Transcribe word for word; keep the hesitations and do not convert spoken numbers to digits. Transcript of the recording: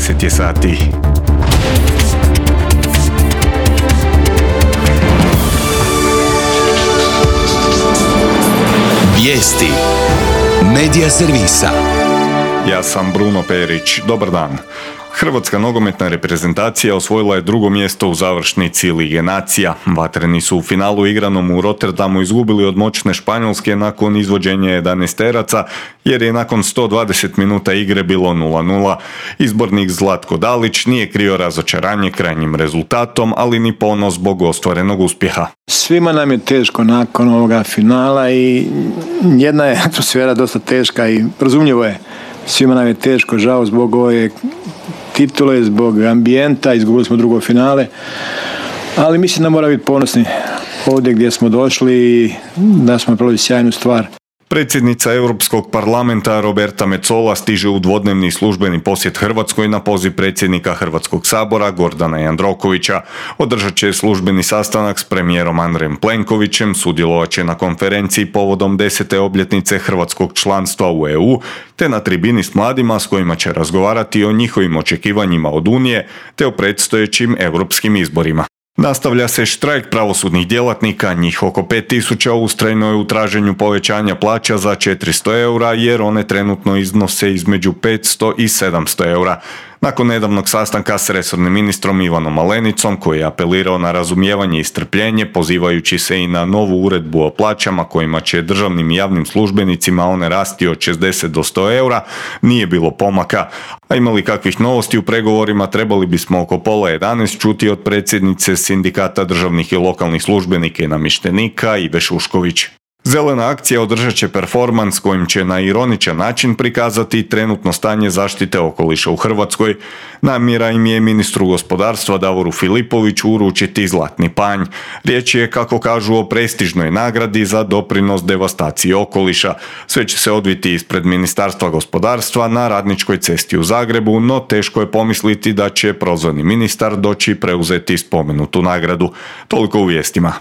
deset je sati. Vijesti Medija servisa. Ja sam Bruno Perić. Dobar dan. Hrvatska nogometna reprezentacija osvojila je drugo mjesto u završnici Lige nacija. Vatreni su u finalu igranom u Rotterdamu izgubili od moćne Španjolske nakon izvođenja jedanaesteraca, jer je nakon sto dvadeset minuta igre bilo nula nula. Izbornik Zlatko Dalić nije krio razočaranje krajnjim rezultatom, ali ni ponos zbog ostvarenog uspjeha. Svima nam je teško nakon ovoga finala i jedna je atmosfera dosta teška i razumljivo je. Svima nam je teško, žao zbog ove titule, zbog ambijenta, izgubili smo drugo finale, ali mislim da mora biti ponosni ovdje gdje smo došli i da smo napravili sjajnu stvar. Predsjednica Europskog parlamenta Roberta Metsola stiže u dvodnevni službeni posjet Hrvatskoj na poziv predsjednika Hrvatskog sabora Gordana Jandrokovića. Održat će službeni sastanak s premijerom Andrejem Plenkovićem, sudjelovat će na konferenciji povodom desete obljetnice hrvatskog članstva u E U, te na tribini s mladima s kojima će razgovarati o njihovim očekivanjima od Unije, te o predstojećim europskim izborima. Nastavlja se štrajk pravosudnih djelatnika, njih oko pet tisuća ustrajno je u traženju povećanja plaća za četiristo eura jer one trenutno iznose između petsto i sedamsto eura. Nakon nedavnog sastanka s resornim ministrom Ivanom Malenicom, koji je apelirao na razumijevanje i strpljenje, pozivajući se i na novu uredbu o plaćama kojima će državnim i javnim službenicima one rasti od šezdeset do sto eura, nije bilo pomaka. A imali kakvih novosti u pregovorima trebali bismo oko pola jedanaest čuti od predsjednice Sindikata državnih i lokalnih službenika i namještenika Ive Šušković. Zelena akcija održat će performans kojim će na ironičan način prikazati trenutno stanje zaštite okoliša u Hrvatskoj. Namjera im je ministru gospodarstva Davoru Filipoviću uručiti zlatni panj. Riječ je, kako kažu, o prestižnoj nagradi za doprinos devastaciji okoliša. Sve će se odviti ispred Ministarstva gospodarstva na Radničkoj cesti u Zagrebu, no teško je pomisliti da će prozvani ministar doći preuzeti spomenutu nagradu. Toliko u vijestima.